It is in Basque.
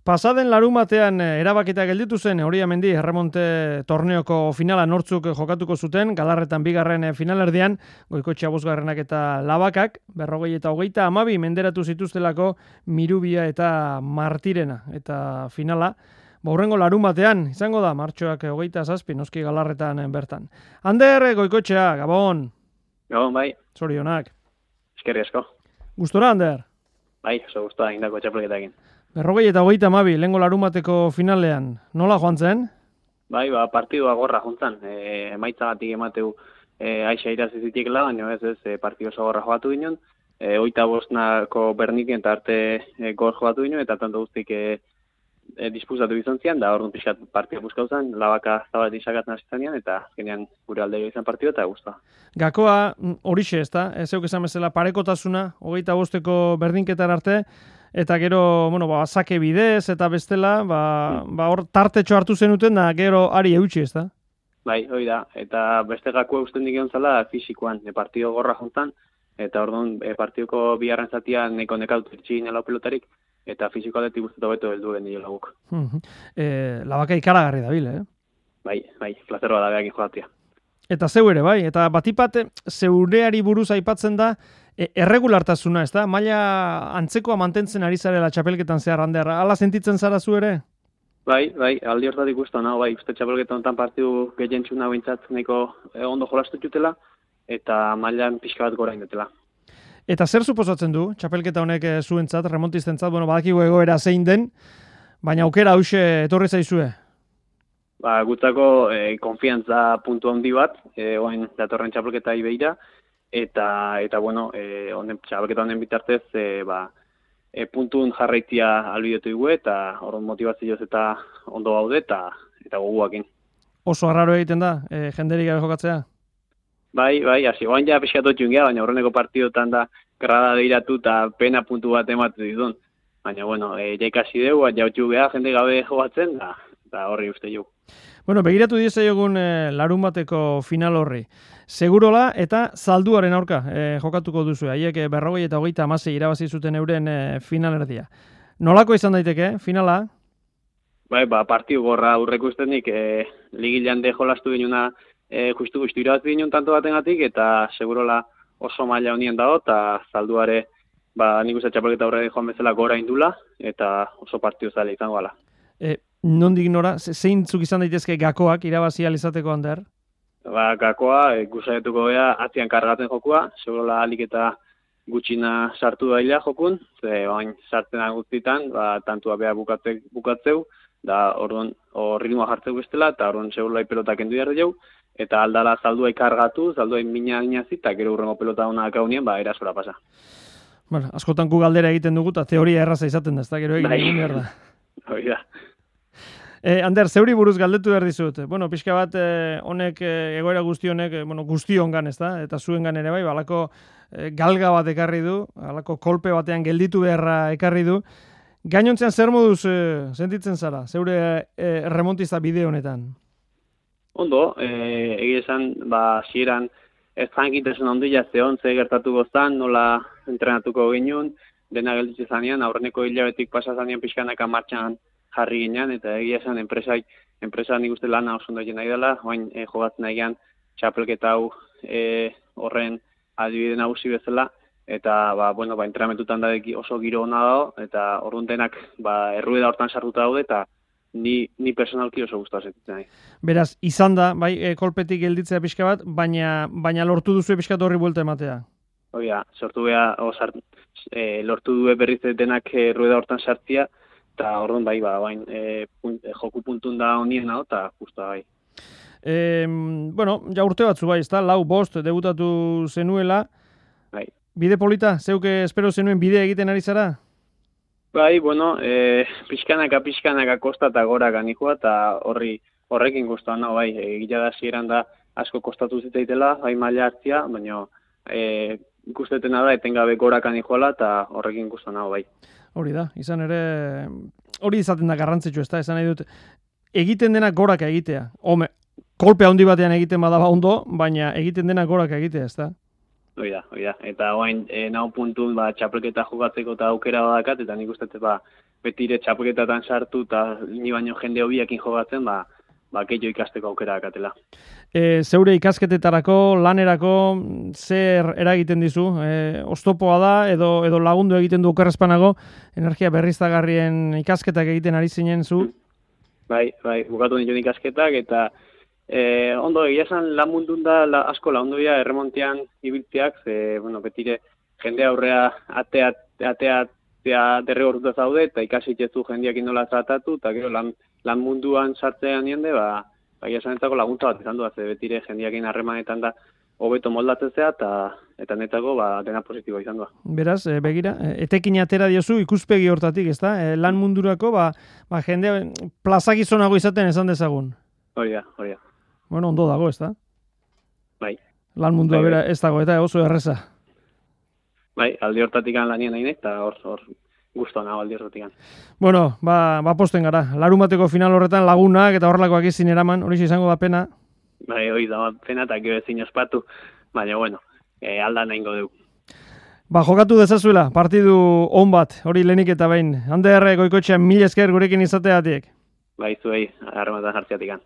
Pasaden larumatean erabakita gelditu zen Oriamendi erremonte torneoko finala nortzuk jokatuko zuten, Galarretan bigarren finalerdian, Goikoetxea bosgarrenak eta Labakak, 40-22 menderatu zituztelako Mirubia eta Martirena. Eta finala, hurrengo larumatean, izango da, martxoak 27, noski Galarretan bertan. Ander, Goikoetxea, Gabon. Gabon, bai. Zorionak. Eskerri asko. Gustora, Ander? Bai, oso gustora indako txapelketakin. 40-22 lehengo larumateko finalean, nola joan zen? Bai, partidua gorra jontzan. Emaitzagatik emateu aixa irazi zitikela, baina ez partidu oso gorra joatu ginen. 25ko Berniken eta arte gor joatu ginen, eta tanto guztik disputatu izan zian, da orduan pixkat partida buskau zen, Labaka zabaletik sakatzen hasi zanean, eta azkenean gure alde izan partidu eta guztua. Gakoa horixe, ez da? Zeuk esan bezala parekotasuna, 25ko Berdinketar arte, eta gero, sake bidez eta bestela, hor tartetxo hartu zenuten da gero ari eutxi, ez da? Bai, hori da. Eta beste gakoa usten dik zala fisikoan, partido gorra jontan, eta orduan partidoko bigarren zatia neko nekautu etxin lau pelotarik, eta fisiko aldetik guztetu beto heldu genio laguk. Labaka ikaragarri dabil, eh? Bai, plazeroa da behakin joatia. Eta zeu ere, bai, eta batipat zeureari buruz aipatzen da, erregulartasuna, ez da? Maila antzekoa mantentzen ari zarela txapelketan zehar, Ander, ala sentitzen zara zu ere? Bai, aldi hortatik guztu, bai, uste txapelketan honetan partidu gehientxuna bintzat neko ondo jolastu jutela, eta mailan pixka bat gora indetela. Eta zer suposatzen du, txapelketa honek zuentzat, remontistentzat, badakigu egoera zein den, baina aukera hause etorri zaizue? Gutzako konfiantza puntu handi bat, oain datorren txapelketa ibeira, eta txapelketa honen bitartez, puntun jarraitia albidetu dugu, eta horren motivazioz eta ondo gaude, eta goguakin. Oso arraro egiten da, jenderik gabe jokatzea? Bai, hasi, oain ja pixkatotxun geha, baina horreneko partidotan da grada deiratu eta pena puntu bat ematu ditun. Baina, jaikasi dugu, jautxu geha, jende gabe jogatzen, da horri uste jo. Begiratu diezaiogun larun bateko final horri. Segurola eta Zalduaren aurka jokatuko duzu. Haiek 40-26 irabazi zuten euren finalerdia. Nolako izan daiteke, finala? Bai, partidu gorra aurreko ustenik, ligilean de jolastu ginuna justu irabazi ginen tanto batengatik, eta segurola oso maila honien dago, eta Zalduare, nik uste txapelketa aurre joan bezala gora indula, eta oso partidu zale izango ala. Nondik nora, zeintzuk izan daitezke gakoak irabazi alizateko, Ander? Gakoa, gusaietuko gea atzian kargatzen jokua, segurola alik eta gutxina sartu dailea jokun, bain sartzen guztitan, tantua beha bukatzeu, da orduan ritmoa jartzeu bestela, eta orduan segurola pelotak endu jarri jau, eta aldala Zaldua ikargatu, Zaldua mina eta gero urrengo pelota hona akaunien, erasora pasa. Askotan gu galdera egiten dugu, eta teoria erraza izaten da, ez da, gero egin behar da. Hori da. Ander, zeuri buruz galdetu behar dizut. Pixka bat honek, egoera guzti honek, guztiongan, ez da, eta zuengan ere bai, alako galga bat ekarri du, alako kolpe batean gelditu beharra ekarri du. Gainontzean zer moduz sentitzen zara, zeure remontista bide honetan? Ondo, egia esan, zieran ez jankitasun handia zehon, ze gertatu goztan, nola entrenatuko ginen, dena gelditze zanean, aurreneko hilabetik pasa zanean pixkanaka martxan jarri ginen, eta egia esan enpresa nik uste lana oso ondo egin nahi dela, oain jogatzen nahian txapelketa hau horren adibide nagusi bezala, eta entrenamentutan da oso giro hona dago, eta orduan denak errueda hortan sartuta daude, eta ni personalki oso guztua sentitzen nahi. Beraz, izan da, kolpetik gelditzea pixka bat, baina lortu duzu pixka horri buelta ematea? Oia, lortu du berriz denak errueda hortan sartzia, eta orduan joku puntun da honien hau, eta justa bai. Ja urte batzu bai, ez da, 4-5 debutatu zenuela. Bai. Bide polita, zeuke espero zenuen bide egiten ari zara? Bai, pixkanaka kosta eta gora ganikoa, eta horrekin guztuan, bai, egila da zieran da asko kostatu zitzaitela, bai maila hartzia, baina ikustetena da etengabe gora ganikoala, eta horrekin guztuan, bai. Hori da, izan ere, hori izaten da garrantzitsu, ez da, esan nahi dut, egiten dena goraka egitea. Kolpe handi batean egiten badaba ondo, baina egiten dena goraka egitea, ez da? Hoi da. Eta oain, nau puntun, txapelketa jokatzeko eta aukera badakat, eta nik uste, betire txapelketatan sartu eta ni baino jende hobiekin jogatzen, gehiago ikasteko aukera dakatela. Zeure ikasketetarako, lanerako, zer eragiten dizu? Oztopoa da edo lagundu egiten du okerrezpanago energia berriztagarrien ikasketak egiten ari zinen zu? Bai, bukatu dituen ikasketak eta ondo egia esan lan mundun da asko lagundu dira erremontean ibiltzeak, betire jende aurrea atea derrigortuta zaude eta ikasi itzezu jendeak indola tratatu eta gero lan munduan sartzean jende, egia esan entzako laguntza bat izan du, betire jendeakin harremanetan da hobeto moldatzen zea eta netako dena positiboa izan du. Beraz, begira, etekin atera diozu ikuspegi hortatik, ezta? Lan mundurako, jende plazagizonago izaten esan dezagun. Hori da. Bueno, ondo dago, ezta? Bai. Lan mundua bera ez dago, eta oso erreza. Bai, aldi hortatik lanien nahi eta hor guztua nago aldi hortatik. Bueno, posten gara. Larumateko final horretan lagunak eta horrelakoak izin eraman, hori izango da pena. Bai, hori da pena eta gero ezin ospatu, baina bueno, alda nahingo dugu. Jokatu dezazuela, partidu on bat, hori lehenik eta behin. Ander Goikoetxea, mila esker gurekin izateatik. Bai, zuei, harrematan jartzeatik.